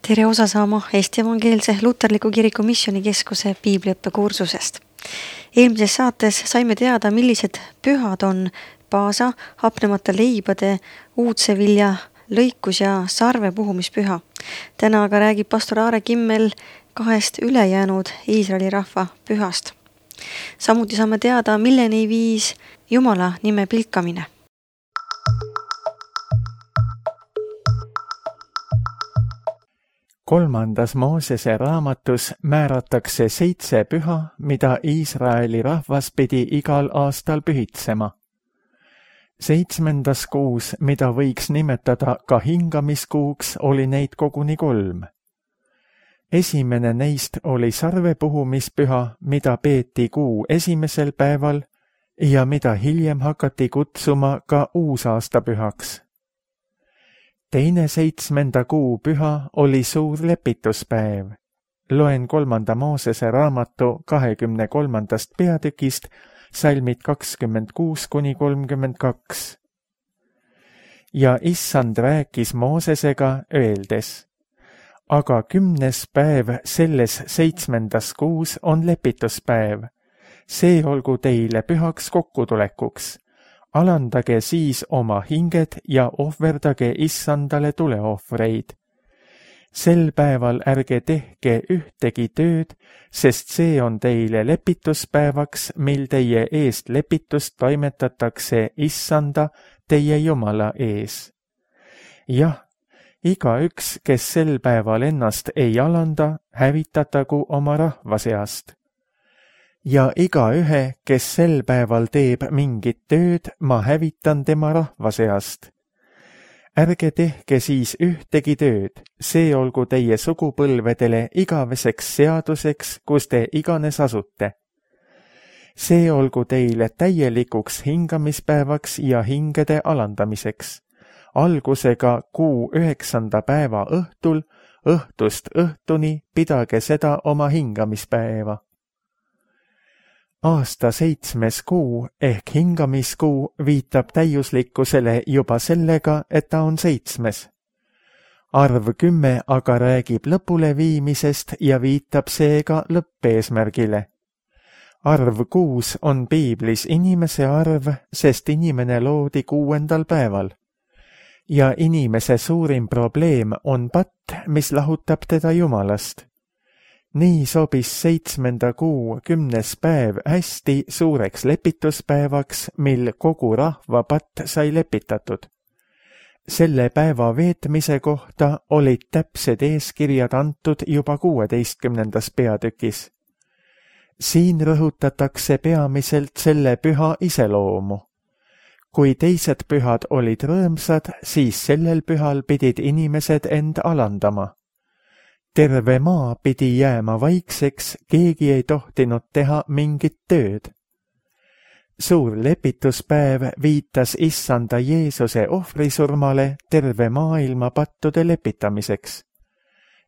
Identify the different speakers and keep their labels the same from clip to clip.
Speaker 1: Tere osa saama Eesti Evangeelse Luterliku Kiriku Missioonikeskuse piibliõppekursusest. Eelmises saates saime teada, millised pühad on paasa, hapnemata leibade, uudsevilja, lõikus ja sarve puhumispüha. Täna aga räägib pastor Aare Kimmel 2 ülejäänud Iisraeli rahva pühast. Samuti saame teada, milleni viis Jumala nime pilkamine.
Speaker 2: Kolmandas Moosese raamatus määratakse 7 püha, mida Iisraeli rahvas pidi igal aastal pühitsema. 7. kuus, mida võiks nimetada ka hingamiskuuks, oli neid koguni 3. Esimene neist oli sarvepuhumispüha, mida peeti kuu esimesel päeval ja mida hiljem hakati kutsuma ka uusaastapühaks. Teine 7. kuu püha oli suur lepituspäev. Loen 3. Moosese raamatu 23. peatükist salmid 26-32. Ja Issand rääkis Moosesega öeldes: aga 10. päev selles 7. kuus on lepituspäev. See olgu teile pühaks kokkutulekuks. Alandage siis oma hinged ja ohverdage Issandale tuleohvreid. Sel päeval ärge tehke ühtegi tööd, sest see on teile lepituspäevaks, mil teie eest lepitust toimetatakse Issanda, teie Jumala ees. Jah, igaüks, kes sel päeval ennast ei alanda, hävitatagu oma rahva seast. Ja igaühe, kes sel päeval teeb mingit tööd, ma hävitan tema rahva seast. Ärge tehke siis ühtegi tööd, see olgu teie sugupõlvedele igaveseks seaduseks, kus te iganes asute. See olgu teile täielikuks hingamispäevaks ja hingede alandamiseks. Algusega kuu 9. päeva õhtul, õhtust õhtuni pidage seda oma hingamispäeva. Aasta 7. kuu ehk hingamiskuu viitab täiuslikkusele juba sellega, et ta on 7. Arv 10 aga räägib lõpule viimisest ja viitab seega lõppeesmärgile. Arv 6 on piiblis inimese arv, sest inimene loodi 6. päeval. Ja inimese suurim probleem on patt, mis lahutab teda Jumalast. Nii sobis 7. kuu 10. päev hästi suureks lepituspäevaks, mil kogu rahva patt sai lepitatud. Selle päeva veetmise kohta olid täpsed eeskirjad antud juba 16. peatükis. Siin rõhutatakse peamiselt selle püha iseloomu. Kui teised pühad olid rõõmsad, siis sellel pühal pidid inimesed end alandama. Terve maa pidi jääma vaikseks, keegi ei tohtinud teha mingit tööd. Suur lepituspäev viitas Issanda Jeesuse ohvrisurmale terve maailma pattude lepitamiseks.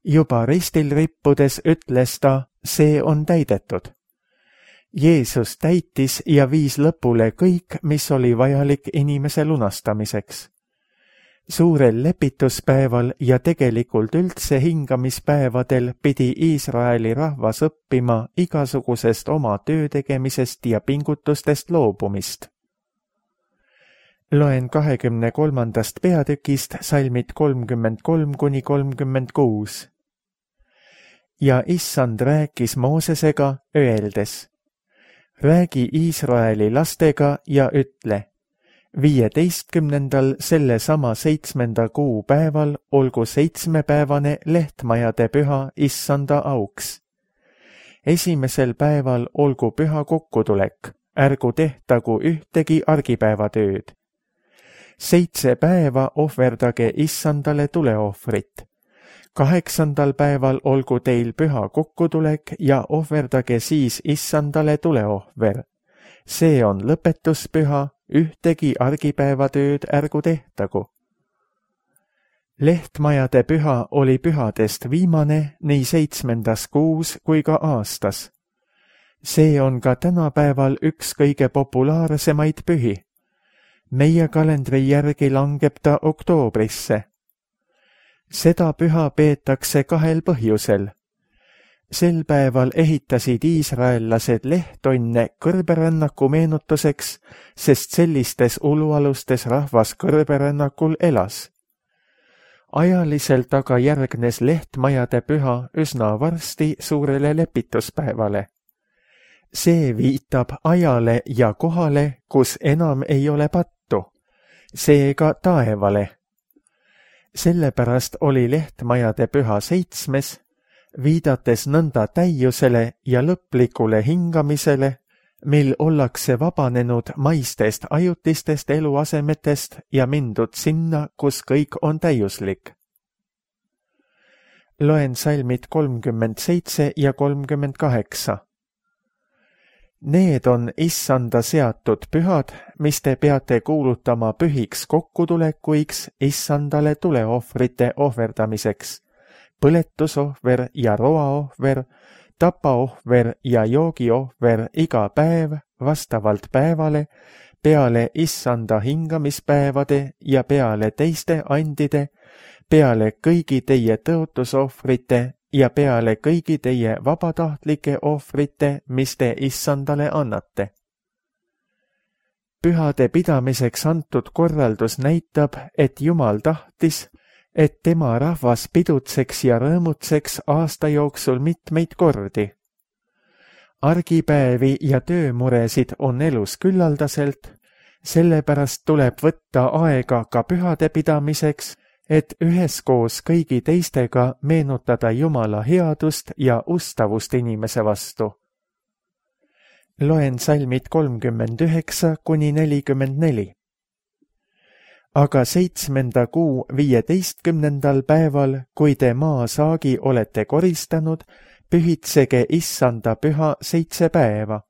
Speaker 2: Juba ristil rippudes ütles ta, see on täidetud. Jeesus täitis ja viis lõpule kõik, mis oli vajalik inimese lunastamiseks. Suurel lepituspäeval ja tegelikult üldse hingamispäevadel pidi Iisraeli rahvas õppima igasugusest oma töö tegemisest ja pingutustest loobumist. Loen 23. peatükist salmid 33-36. Ja Issand rääkis Moosesega öeldes: räägi Iisraeli lastega ja ütle: 15. sellesama 7. kuu päeval olgu 7-päevane lehtmajade püha Issanda auks. Esimesel päeval olgu püha kokkutulek, ärgu tehtagu ühtegi argipäevatööd. 7 päeva ohverdage Issandale tuleohvrit. 8. päeval olgu teil püha kokkutulek ja ohverdage siis Issandale tuleohver. See on lõpetuspüha, ühtegi argipäevatööd ärgu tehtagu. Lehtmajade püha oli pühadest viimane nii 7. kuus kui ka aastas. See on ka tänapäeval üks kõige populaarsemaid pühi. Meie kalendri järgi langeb ta oktoobrisse. Seda püha peetakse kahel põhjusel. Sel päeval ehitasid iisraellased lehtonne kõrberännaku meenutuseks, sest sellistes ulualustes rahvas kõrberännakul elas. Ajaliselt aga järgnes lehtmajade püha üsna varsti suurele lepituspäevale. See viitab ajale ja kohale, kus enam ei ole pattu, seega taevale. Sellepärast oli lehtmajade püha 7, viidates nõnda täiusele ja lõplikule hingamisele, mil ollakse vabanenud maistest ajutistest eluasemetest ja mindud sinna, kus kõik on täiuslik. Loen salmid 37 ja 38. Need on Issanda seatud pühad, mis te peate kuulutama pühiks kokkutulekuiks Issandale tuleohvrite ohverdamiseks, põletusohver ja roaohver, tapaohver ja joogiohver iga päev vastavalt päevale, peale Issanda hingamispäevade ja peale teiste andide, peale kõigi teie tõotusohvrite ja peale kõigi teie vabatahtlike ohvrite, mis te Issandale annate. Pühade pidamiseks antud korraldus näitab, et Jumal tahtis, et tema rahvas pidutseks ja rõõmutseks aasta jooksul mitmeid kordi. Argipäevi ja töömuresid on elus küllaldaselt, sellepärast tuleb võtta aega ka pühade pidamiseks, et üheskoos kõigi teistega meenutada Jumala headust ja ustavust inimese vastu. Loen salmid 39 kuni 44. Aga 7. kuu 15. päeval, kui te maasaagi olete koristanud, pühitsege Issanda püha 7 päeva.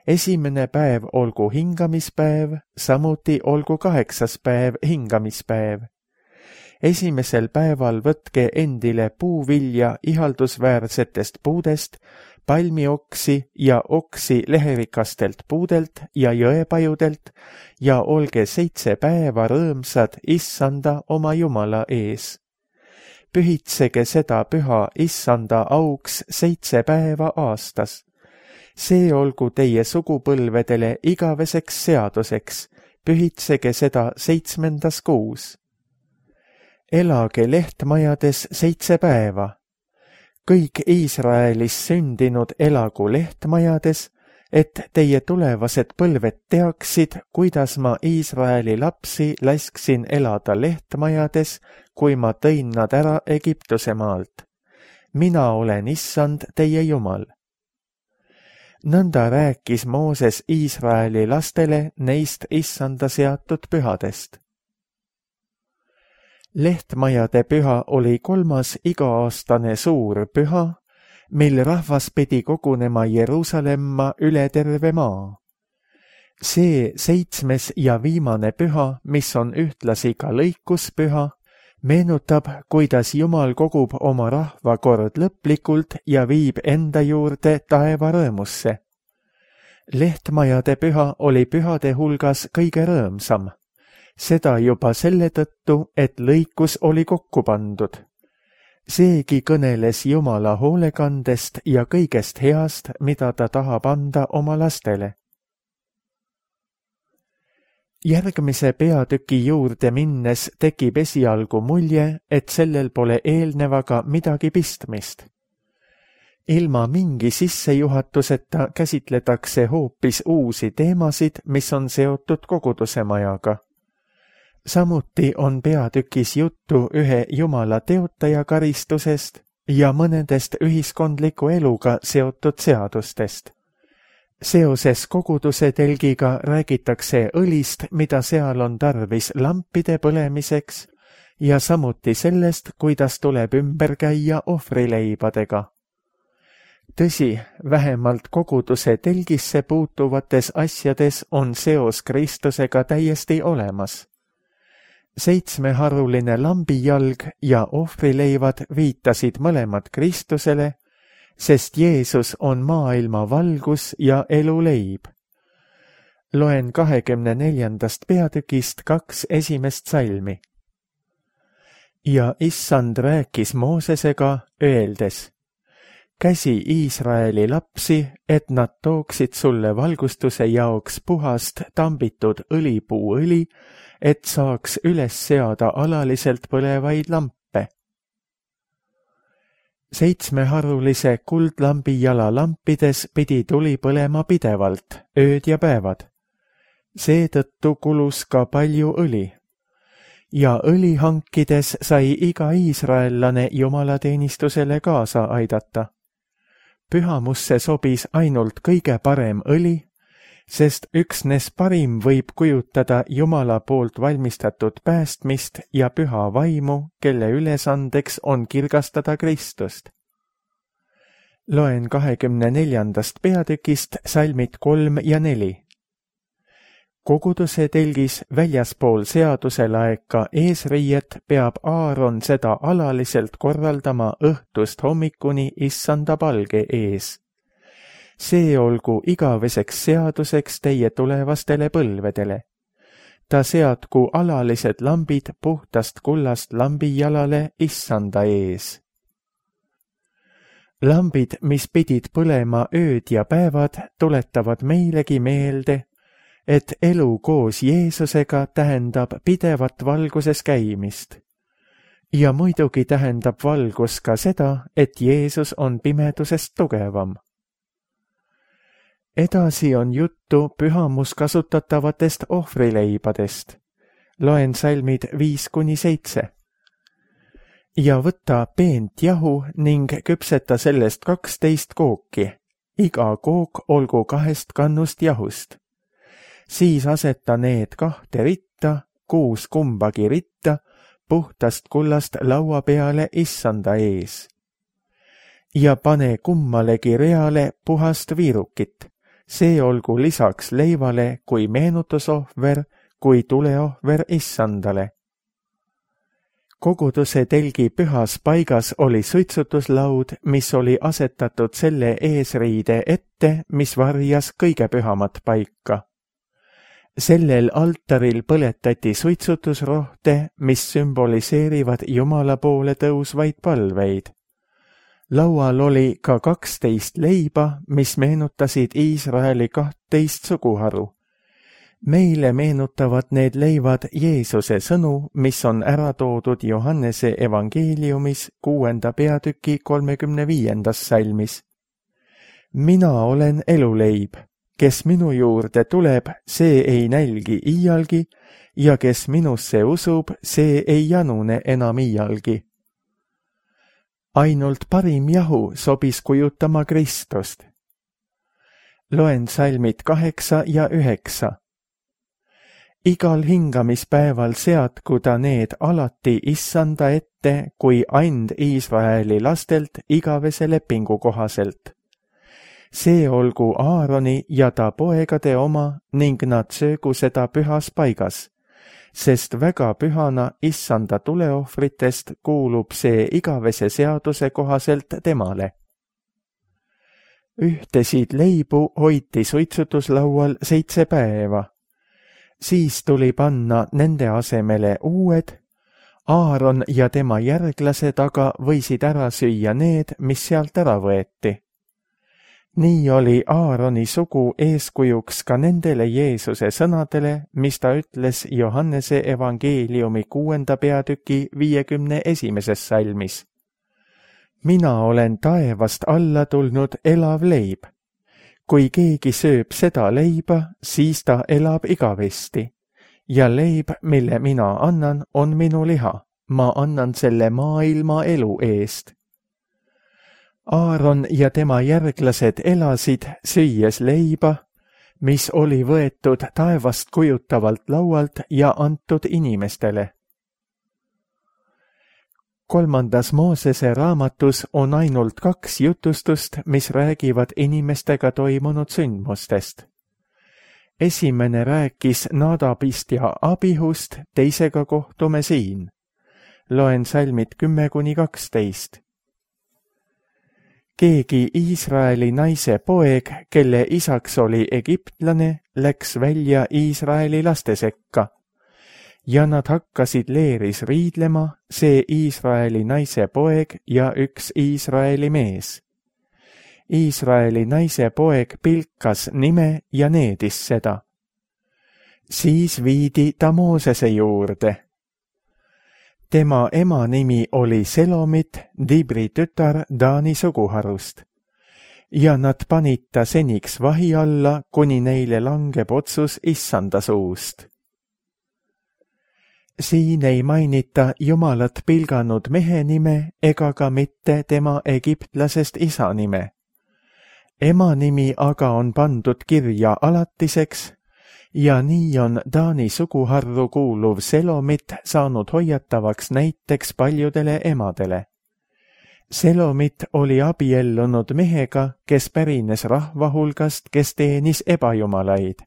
Speaker 2: Esimene päev olgu hingamispäev, samuti olgu 8. päev hingamispäev. Esimesel päeval võtke endile puuvilja ihaldusväärsetest puudest, palmioksi ja oksi leherikastelt puudelt ja jõepajudelt ja olge 7 päeva rõõmsad Issanda oma Jumala ees. Pühitsege seda püha Issanda auks 7 päeva aastas. See olgu teie sugupõlvedele igaveseks seaduseks, pühitsege seda 7. kuus. Elage lehtmajades 7 päeva. Kõik Iisraelis sündinud elagu lehtmajades, et teie tulevased põlved teaksid, kuidas ma Iisraeli lapsi lasksin elada lehtmajades, kui ma tõin nad ära Egiptuse maalt. Mina olen Issand teie Jumal. Nõnda rääkis Mooses Iisraeli lastele neist Issanda seatud pühadest. Lehtmajade püha oli 3. iga-aastane suur püha, mil rahvas pidi kogunema Jeruusalemma üle terve maa. See 7. ja viimane püha, mis on ühtlasi ka lõikuspüha, meenutab, kuidas Jumal kogub oma rahva kord lõplikult ja viib enda juurde taeva rõõmusse. Lehtmajade püha oli pühade hulgas kõige rõõmsam. Seda juba selle tõttu, et lõikus oli kokku pandud. Seegi kõneles Jumala hoolekandest ja kõigest heast, mida ta tahab anda oma lastele. Järgmise peatüki juurde minnes tekib esialgu mulje, et sellel pole eelnevaga midagi pistmist. Ilma mingi sissejuhatuseta käsitletakse hoopis uusi teemasid, mis on seotud koguduse majaga. Samuti on peatükis juttu ühe Jumala teotaja karistusest ja mõnedest ühiskondliku eluga seotud seadustest. Seoses koguduse telgiga räägitakse õlist, mida seal on tarvis lampide põlemiseks ja samuti sellest, kuidas tuleb ümber käia ohvrileibadega. Tõsi, vähemalt koguduse telgisse puutuvates asjades on seos Kristusega täiesti olemas. 7-haruline lambijalg ja ohvrileivad viitasid mõlemad Kristusele, sest Jeesus on maailma valgus ja eluleib. Loen 24. peatükist 2 esimest salmi. Ja issand rääkis Moosesega, öeldes: käsi Iisraeli lapsi, et nad tooksid sulle valgustuse jaoks puhast tambitud õlipuuõli, et saaks üles seada alaliselt põlevaid lampe. 7-harulise kuldlambi jala lampides pidi tuli põlema pidevalt, ööd ja päevad. Seetõttu kulus ka palju õli. Ja õli hankides sai iga iisraellane jumalateenistusele kaasa aidata. Pühamusse sobis ainult kõige parem õli, sest üksnes parim võib kujutada Jumala poolt valmistatud päästmist ja püha vaimu, kelle ülesandeks on kirgastada Kristust. Loen 24. peatükist salmid 3 ja 4. Koguduse telgis väljaspool seaduselaeka eesriiet peab Aaron seda alaliselt korraldama õhtust hommikuni issanda palge ees. See olgu igaveseks seaduseks teie tulevastele põlvedele. Ta seadku alalised lambid puhtast kullast lambijalale issanda ees. Lambid, mis pidid põlema ööd ja päevad, tuletavad meilegi meelde, et elu koos Jeesusega tähendab pidevat valguses käimist. Ja muidugi tähendab valgus ka seda, et Jeesus on pimedusest tugevam. Edasi on juttu pühamus kasutatavatest ohvrileibadest. Loen salmid 5-7. Ja võta peent jahu ning küpseta sellest 12 kooki. Iga kook olgu 2 kannust jahust. Siis aseta need 2 ritta, 6 kumbagi ritta, puhtast kullast laua peale issanda ees. Ja pane kummalegi reale puhast viirukit. See olgu lisaks leivale kui meenutusohver, kui tuleohver issandale. Koguduse telgi pühas paigas oli suitsutuslaud, mis oli asetatud selle eesriide ette, mis varjas kõige pühamat paika. Sellel altaril põletati suitsutusrohte, mis sümboliseerivad Jumala poole tõusvaid palveid. Laual oli ka 12 leiba, mis meenutasid Iisraeli 12 suguharu. Meile meenutavad need leivad Jeesuse sõnu, mis on ära toodud Johannese evangeeliumis 6. peatüki 35. salmis. Mina olen eluleib. Kes minu juurde tuleb, see ei nälgi iialgi, ja kes minusse usub, see ei janune enam iialgi. Ainult parim jahu sobis kujutama Kristust. Loen salmid 8 ja 9. Igal hingamispäeval seadku ta need alati issanda ette kui and Iisraeli lastelt igavese lepingu kohaselt. See olgu Aaroni ja ta poegade oma ning nad söögu seda pühas paigas, sest väga pühana issanda tuleohvritest kuulub see igavese seaduse kohaselt temale. Ühtesid leibu hoiti suitsutuslaual 7 päeva. Siis tuli panna nende asemele uued. Aaron ja tema järglased aga võisid ära süüa need, mis sealt ära võeti. Nii oli Aaroni sugu eeskujuks ka nendele Jeesuse sõnadele, mis ta ütles Johannese evangeeliumi 6. peatüki 51. salmis. Mina olen taevast alla tulnud elav leib. Kui keegi sööb seda leiba, siis ta elab igavesti. Ja leib, mille mina annan, on minu liha. Ma annan selle maailma elu eest. Aaron ja tema järglased elasid süües leiba, mis oli võetud taevast kujutavalt laualt ja antud inimestele. 3. Moosese raamatus on ainult 2 jutustust, mis räägivad inimestega toimunud sündmustest. Esimene rääkis Nadabist ja Abihust, teisega kohtume siin. Loen salmid 10-12. Keegi Iisraeli naise poeg, kelle isaks oli egiptlane, läks välja Iisraeli laste sekka ja nad hakkasid leeris riidlema, see Iisraeli naise poeg ja üks Iisraeli mees. Iisraeli naise poeg pilkas nime ja needis seda. Siis viidi ta Moosese juurde. Tema ema nimi oli Selomit, Dibri tütar Taani suguharust. Ja nad panid ta seniks vahi alla, kuni neile langeb otsus Issanda suust. Siin ei mainita Jumalat pilganud mehe nime ega ka mitte tema egiptlasest isa nime. Ema nimi aga on pandud kirja alatiseks ja nii on Taani suguharru kuuluv Selomit saanud hoiatavaks näiteks paljudele emadele. Selomit oli abiellunud mehega, kes pärines rahva hulgast, kes teenis ebajumalaid.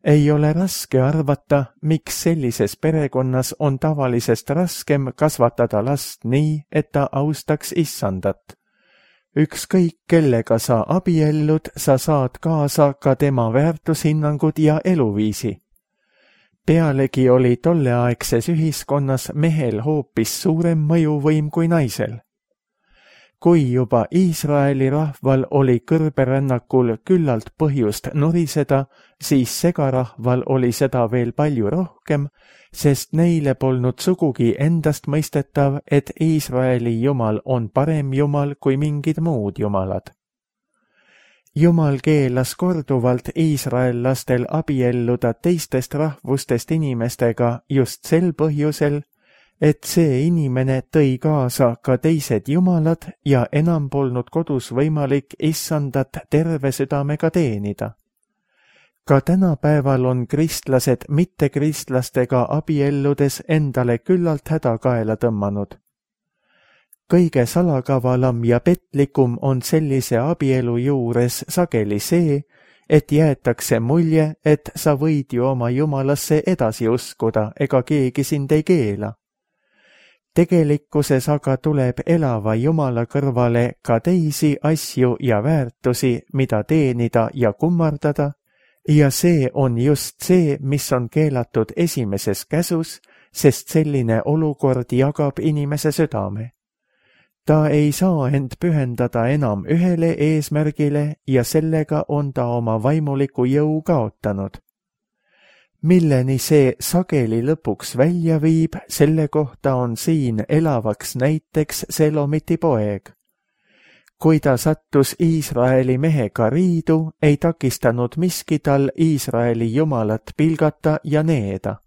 Speaker 2: Ei ole raske arvata, miks sellises perekonnas on tavalisest raskem kasvatada last nii, et ta austaks Issandat. Ükskõik kellega sa abiellud, sa saad kaasa ka tema väärtushinnangud ja eluviisi. Pealegi oli tolleaegses ühiskonnas mehel hoopis suurem mõjuvõim kui naisel. Kui juba Iisraeli rahval oli kõrberännakul küllalt põhjust nuriseda, siis segarahval oli seda veel palju rohkem, sest neile polnud sugugi endast mõistetav, et Iisraeli jumal on parem jumal kui mingid muud jumalad. Jumal keelas korduvalt iisraellastel abielluda teistest rahvustest inimestega just sel põhjusel, et see inimene tõi kaasa ka teised jumalad ja enam polnud kodus võimalik Issandat terve südamega teenida. Ka tänapäeval on kristlased mittekristlastega abielludes endale küllalt häda kaela tõmmanud. Kõige salakavalam ja petlikum on sellise abielu juures sageli see, et jäetakse mulje, et sa võid ju oma jumalasse edasi uskuda, ega keegi sind ei keela. Tegelikkuses aga tuleb elava Jumala kõrvale ka teisi asju ja väärtusi, mida teenida ja kummardada, ja see on just see, mis on keelatud esimeses käsus, sest selline olukord jagab inimese südame. Ta ei saa end pühendada enam ühele eesmärgile ja sellega on ta oma vaimuliku jõu kaotanud. Milleni see sageli lõpuks välja viib, selle kohta on siin elavaks näiteks Selomiti poeg. Kui ta sattus Iisraeli mehega riidu, ei takistanud miski tal Iisraeli jumalat pilgata ja needa.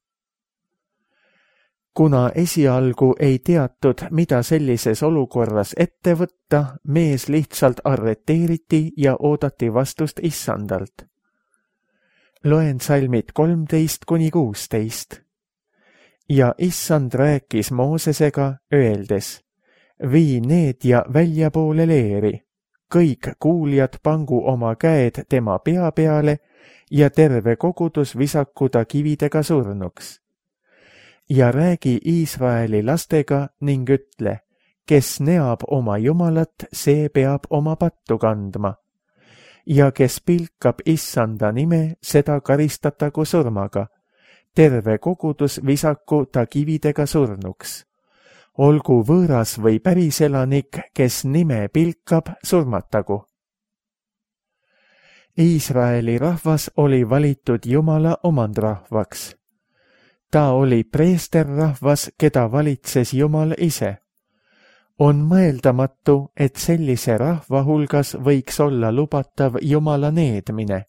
Speaker 2: Kuna esialgu ei teatud, mida sellises olukorras ette võtta, mees lihtsalt arreteeriti ja oodati vastust Issandalt. Loen salmid 13–16. Ja Issand rääkis Moosesega, öeldes, vii need ja väljapoole leeri, kõik kuuljad pangu oma käed tema pea peale ja terve kogudus visaku ta kividega surnuks. Ja räägi Iisraeli lastega ning ütle, kes neab oma jumalat, see peab oma pattu kandma. Ja kes pilkab Issanda nime, seda karistatagu surmaga. Terve kogudus visaku ta kividega surnuks. Olgu võõras või päriselanik, kes nime pilkab, surmatagu. Iisraeli rahvas oli valitud Jumala omandrahvaks. Ta oli preesterrahvas, keda valitses Jumal ise. On mõeldamatu, et sellise rahva hulgas võiks olla lubatav Jumala needmine.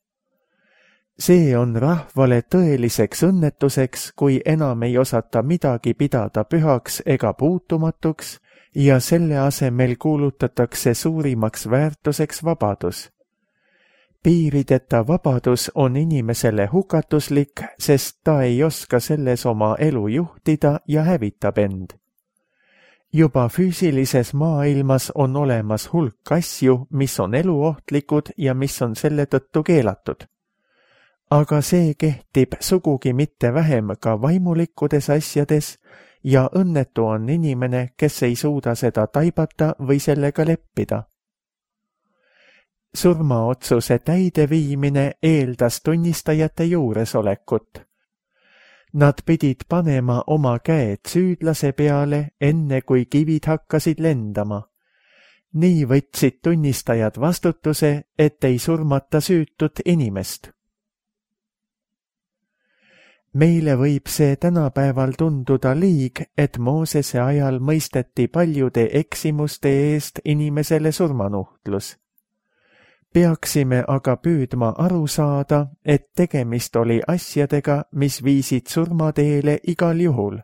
Speaker 2: See on rahvale tõeliseks õnnetuseks, kui enam ei osata midagi pidada pühaks ega puutumatuks ja selle asemel kuulutatakse suurimaks väärtuseks vabadus. Piirideta vabadus on inimesele hukatuslik, sest ta ei oska selles oma elu juhtida ja hävitab end. Juba füüsilises maailmas on olemas hulk asju, mis on eluohtlikud ja mis on selle tõttu keelatud. Aga see kehtib sugugi mitte vähem ka vaimulikkudes asjades ja õnnetu on inimene, kes ei suuda seda taibata või sellega leppida. Surmaotsuse täideviimine eeldas tunnistajate juuresolekut. Nad pidid panema oma käed süüdlase peale, enne kui kivid hakkasid lendama. Nii võtsid tunnistajad vastutuse, et ei surmata süütut inimest. Meile võib see tänapäeval tunduda liig, et Moosese ajal mõisteti paljude eksimuste eest inimesele surmanuhtlus. Peaksime aga püüdma aru saada, et tegemist oli asjadega, mis viisid surmateele igal juhul.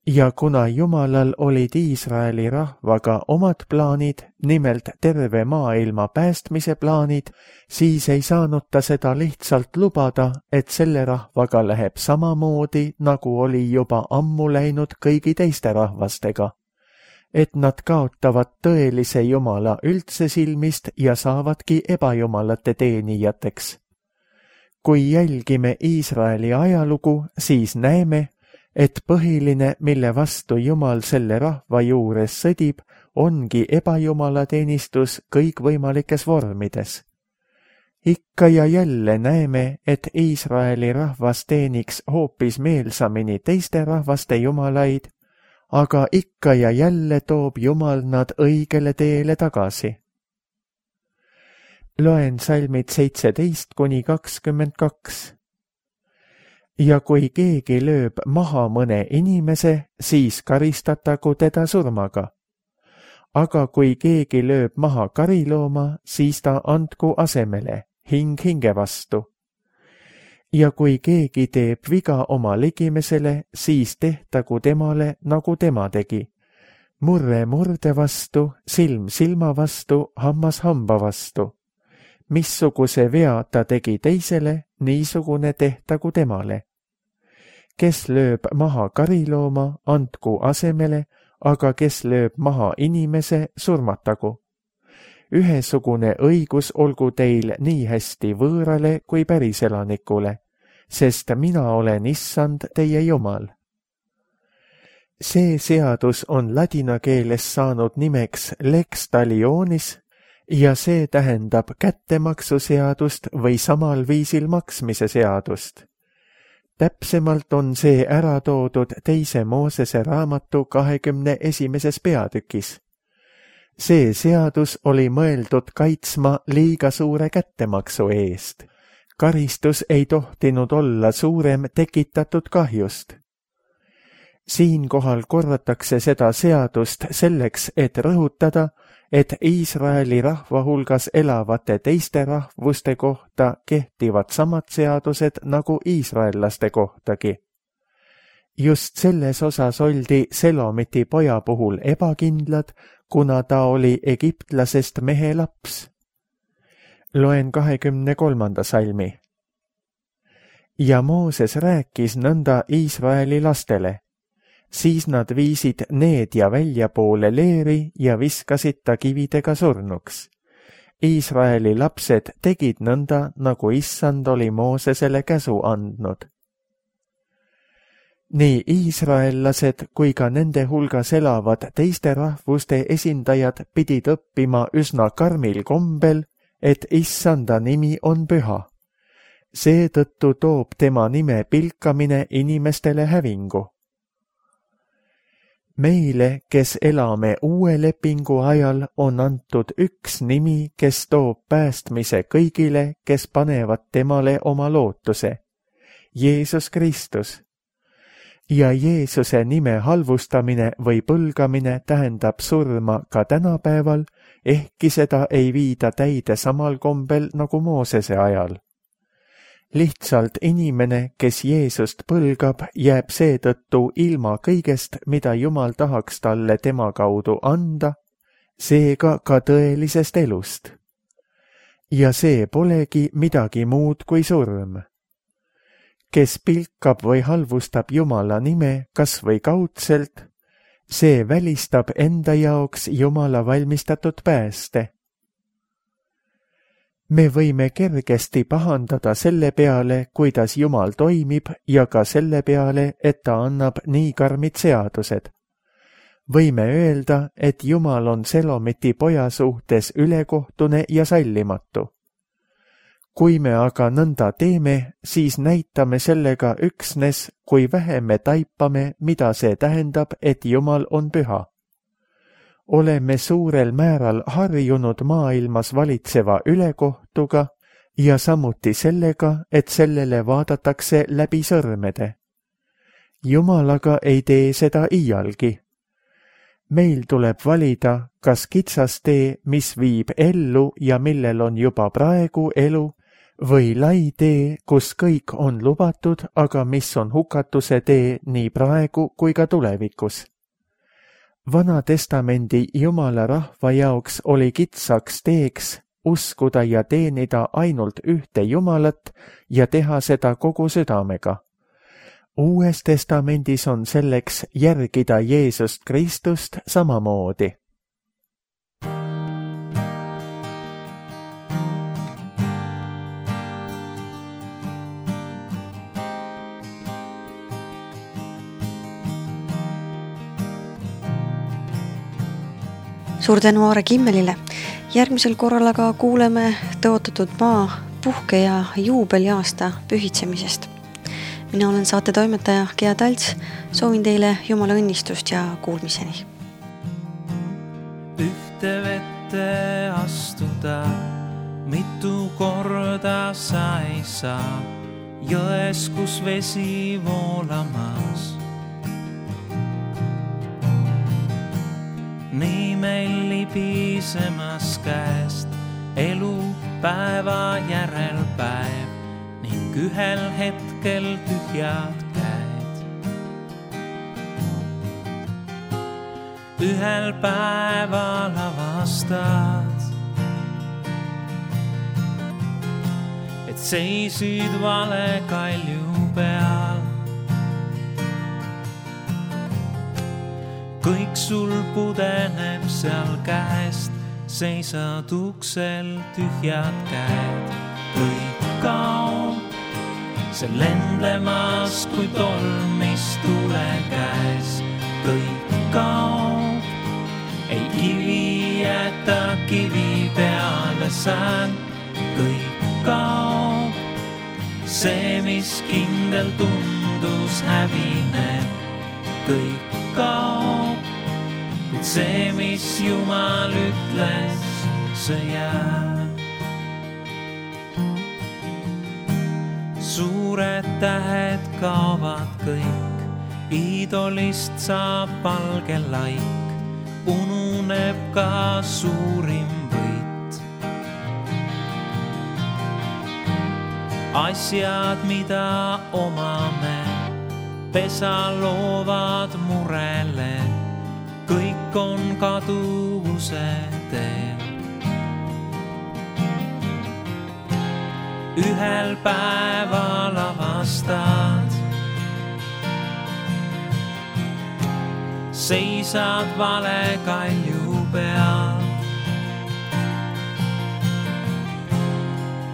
Speaker 2: Ja kuna Jumalal olid Iisraeli rahvaga omad plaanid, nimelt terve maailma päästmise plaanid, siis ei saanud ta seda lihtsalt lubada, et selle rahvaga läheb samamoodi, nagu oli juba ammu läinud kõigi teiste rahvastega. Et nad kaotavad tõelise Jumala üldse silmist ja saavadki ebajumalate teenijateks. Kui jälgime Iisraeli ajalugu, siis näeme, et põhiline, mille vastu Jumal selle rahva juures sõdib, ongi ebajumalateenistus kõikvõimalikes vormides. Ikka ja jälle näeme, et Iisraeli rahvas teeniks hoopis meelsamini teiste rahvaste jumalaid, aga ikka ja jälle toob Jumal nad õigele teele tagasi. Loen salmid 17–22. Ja kui keegi lööb maha mõne inimese, siis karistatagu teda surmaga. Aga kui keegi lööb maha karilooma, siis ta andku asemele, hing hinge vastu. Ja kui keegi teeb viga oma ligimesele, siis tehtagu temale, nagu tema tegi. Murre murde vastu, silm silma vastu, hammas hamba vastu. Missuguse vea ta tegi teisele, niisugune tehtagu temale. Kes lööb maha karilooma, andku asemele, aga kes lööb maha inimese, surmatagu. Ühesugune õigus olgu teil nii hästi võõrale kui päriselanikule, sest mina olen Issand teie Jumal. See seadus on ladina keeles saanud nimeks lex talionis ja see tähendab kättemaksuseadust või samal viisil maksmise seadust. Täpsemalt on see ära toodud 2. Moosese raamatu 21. peatükis. See seadus oli mõeldud kaitsma liiga suure kättemaksu eest. Karistus ei tohtinud olla suurem tekitatud kahjust. Siinkohal korratakse seda seadust selleks, et rõhutada, et Iisraeli rahva hulgas elavate teiste rahvuste kohta kehtivad samad seadused nagu iisraellaste kohtagi. Just selles osas oldi Selomiti poja puhul ebakindlad, kuna ta oli egiptlasest mehe laps. Loen 23. salmi. Ja Mooses rääkis nõnda Iisraeli lastele. Siis nad viisid needja väljapoole leeri ja viskasid ta kividega surnuks. Iisraeli lapsed tegid nõnda, nagu Issand oli Moosesele käsu andnud. Nii iisraellased kui ka nende hulgas elavad teiste rahvuste esindajad pidid õppima üsna karmil kombel, et Issanda nimi on püha. Seetõttu toob tema nime pilkamine inimestele hävingu. Meile, kes elame uue lepingu ajal, on antud üks nimi, kes toob päästmise kõigile, kes panevad temale oma lootuse. Jeesus Kristus. Ja Jeesuse nime halvustamine või põlgamine tähendab surma ka tänapäeval, ehkki seda ei viida täide samal kombel nagu Moosese ajal. Lihtsalt inimene, kes Jeesust põlgab, jääb seetõttu ilma kõigest, mida Jumal tahaks talle tema kaudu anda, seega ka tõelisest elust. Ja see polegi midagi muud kui surm. Kes pilkab või halvustab Jumala nime kas või kaudselt, see välistab enda jaoks Jumala valmistatud pääste. Me võime kergesti pahandada selle peale, kuidas Jumal toimib ja ka selle peale, et ta annab nii karmid seadused. Võime öelda, et Jumal on Selomiti poja suhtes ülekohtune ja sallimatu. Kui me aga nõnda teeme, siis näitame sellega üksnes, kui vähe me taipame, mida see tähendab, et Jumal on püha. Oleme suurel määral harjunud maailmas valitseva ülekohtuga ja samuti sellega, et sellele vaadatakse läbi sõrmede. Jumal aga ei tee seda iialgi. Meil tuleb valida, kas kitsas tee, mis viib ellu ja millel on juba praegu elu, või lai tee, kus kõik on lubatud, aga mis on hukatuse tee nii praegu kui ka tulevikus. Vana testamendi Jumala rahva jaoks oli kitsaks teeks uskuda ja teenida ainult ühte Jumalat ja teha seda kogu südamega. Uues testamendis on selleks järgida Jeesust Kristust samamoodi.
Speaker 1: Suur tänu Aare Kimmelile. Järgmisel korral aga kuuleme tõotatud maa puhke- ja juubeliaasta pühitsemisest. Mina olen saate toimetaja Gea Talts. Soovin teile Jumala õnnistust ja kuulmiseni.
Speaker 3: Ühte vette astuda, mitu korda sa ei saa, jões, kus vesi voolamas. Nii meil libisemas käest elu päeva järel päev ning ühel hetkel tühjad käed. Ühel päeval avastad, et seisid vale kalju peal. Kõik sul pudeneb seal käest, seisad uksel tühjad käed. Kõik kaob, see lendlemas kui tolmis tule käes. Kõik kaob, ei kivi jäta kivi peale sään. Kõik kaob, see mis kindel tundus hävineb. Kõik kaob, kuid see, mis Jumal ütles, see jääb. Suured tähed kaovad kõik, iidolist saab valge laik, ununeb ka suurim võit. Asjad, mida omame, pesa loovad murele, kõik on kaduvuse teel. Ühel päeval avastad, seisad vale kalju peal.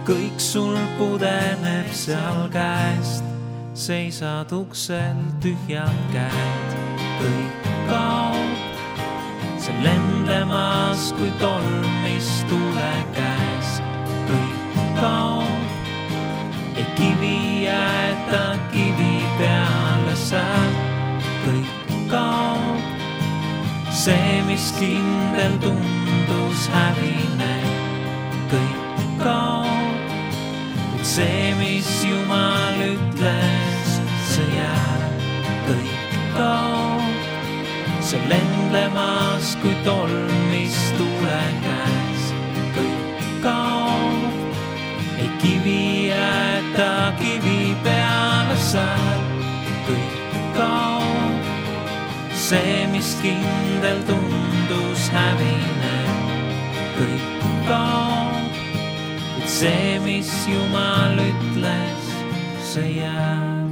Speaker 3: Kõik sul pudeneb seal käest, seisad uksel tühjad käed. Kõik kaob, see lendlemas kui tolmis tule käes. Kõik kaob, ei kivi jäeta kivi peale sääb. Kõik kaob, see mis kindel tundus hävineb. Kõik kaob, kuid see mis Jumal ütles, see jääb. Kõik kaob, see lendlemas kui tolmis tule käes. Kõik kaob, ei kivi jäeta kivi peale sääb. Kõik kaob, see mis kindel tundus hävineb. Kõik kaob, kuid see mis Jumal ütles, see jääb.